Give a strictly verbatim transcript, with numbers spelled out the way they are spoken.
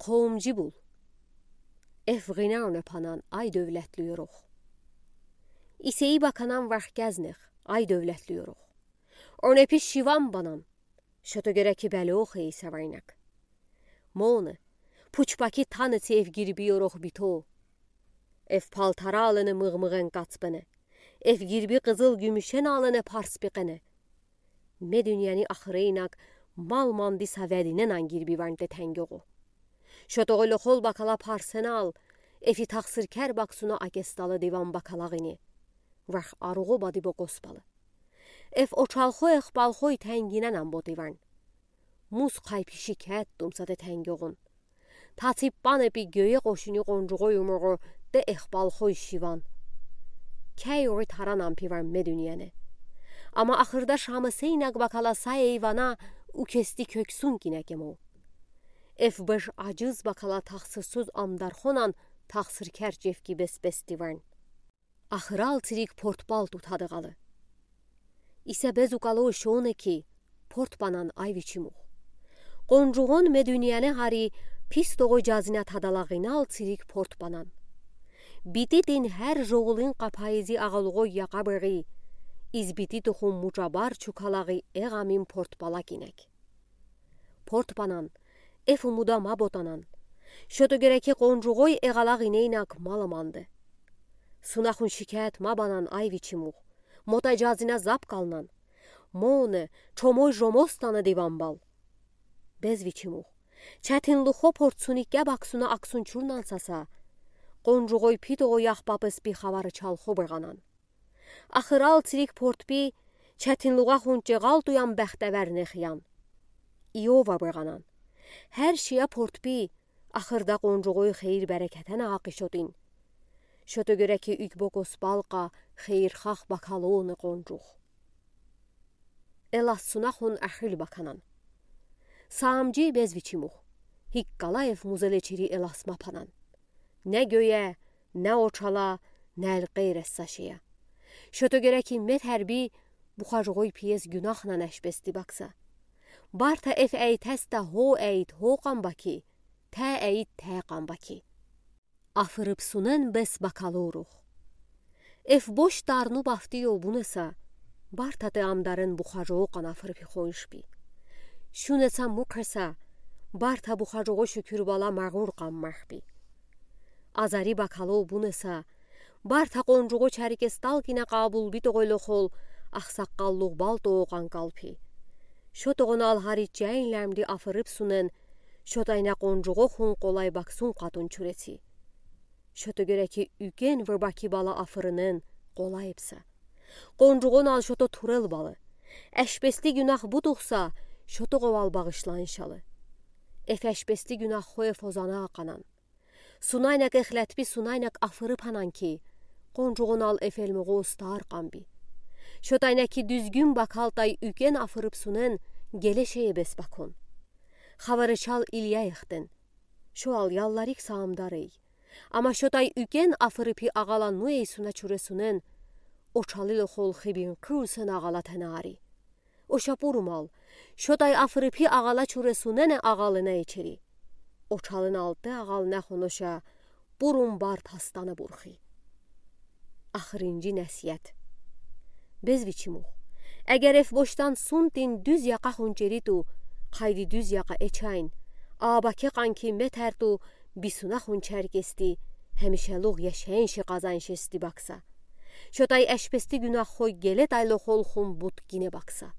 Qovumci bul. Ef ğinə ronephanan, ay dövlətli yoruq. İseyi bakanan vəxkəznex, ay dövlətli yoruq. Ronepi şivan banan, şoto görə ki bəlo xeysə vəynək. Mone, puçpaki tanıtsi ef girbi yoruq bito. Ef paltarə alıni mığ-mığen qaç bıne. Ef girbi qızıl-gümüşen alıni pars biqene. Me dünyəni axıreynək mal mandisa vədinən girbi vəynte təngoğu. Şotoğu loxol bakala parsenal, efi taxsırkər baksuna akestalı divan bakala ğini. Vəx aruğu badibo qospalı. Ef oçalxo ex balxoy tənginənən bo divan. Mus qaypişi kət tumsate təngoğun. Tatsib banepi göyə qoşuni qoncuğoy umoğu de ex balxoy şivan. Kəy oği taranən pivan me dünyəni. Amma axırda şamıseynək bakala say eyvana ukesti köksün kinəkemo. Ef bış acız bakala taxsırsız amdarxonan taxsırkər cevki bes-bes divan. Axıral tsirik portbal tutadı ğalı. İsə bez ukalo şone ki, portbanan ay viçimux. Qoncuğon me dünyəni hari pis toğoy cazinə tadala ğinal tsirik portbanan. Biti din hər joğulin qapayızi ağaluğoy yaqa bıri, iz biti tuxum mucabar çukalağı eğamin portbala kinək. Portbanan, ef umuda mabotanan. Şoto görə ki qoncuğoy eğala ğineynək mal amandı. Sunaxun şikət mabanan ay viçimux. Motay cazinə zap qalnan. Mone, çomoy jomostanı divan bal. Bez viçimux. Çətinluxo portsunikkə baksuna aksun çurnan sasa. Qoncuğoy pitoğoy yahpapıs bi xavarı çalxo bırğanan. Axıral tsirik portbi, çətinluğa xunçe ğal tuyan bəxtəvər nexyan. İyova bırğanan. Hər şiyə portbi, axırda qoncuğoy xeyir bərəkətən aqışotin. Şoto görə ki ükbo qosbalqa xeyirxah bakaloni qoncuğ. Elas sunaxun əxil bakanan. Saamci bez viçimux. Hiqqala ef muzeleçiri elas mapanan. Nə göyə, nə oçala, nə əlqeyr essa şeyə. Şoto görə ki met hərbi buxacoğoy piyes günaxnan əşbesti baksa. Barta ef əytəstə ho əyt ho qan baki, tə əyt tə qan baki. Afırıbsunen bes bakaloruq. Ef boş tarnu baftiyo bunesa, barta te amdaren buxacoğoqan afırıpi xoyşbi. Şunesa mukresa, barta buxacoğo şükür bala mağur qan mahbi. Azari bakalo bunesa, barta qoncuğo çərkestal kinə qabul bitoğoy loxol, axsaqqalluq bal toğoqan qalpi. Şotoğonal hariç cəynləmdi afırıbsunen, şotaynə qoncuğo xun qolay baksun qatun çüresi. Şoto görə ki üken vırbaki bala afırınen qolay epsə. Qoncuğonal şoto turel balı. Əşbesti günax butuxsa, şotoğoval bağışlanşalı. Ef əşbesti günax xoy ef ozanı aqanan. Sunaynək exlətbi sunaynək afırıpanan ki, qoncuğonal ef elmoğu ostar qanbi. Şotaynə ki düzgün bakaltay üken afırıbsunen gele şeye bes bakon. Xavarıçal ilyə exten. Şoal yallarik saamdarey. Amma şotay üken afırıpi ağala nu eysuna çüresunen, oçalı loxol xibin qıusen ağala tənari. Oşa burumal, şotay afırıpi ağala çüresunene ağalına eçeri. Oçalın altı ağalına xonoşa burun bar tastanı burxi. Axırınci nəsiyət. Bez viçimux. Əgər ef boşdan suntin düz yaqa xunçeritu, qaydı düz yaqa eçayn, abake qanki metərtu, bisuna xunçərkesti, həmişəluğ yaşayınşı qazanşesti baksa. Şotay əşbesti günax xoy geletay loxol xun but gine baksa.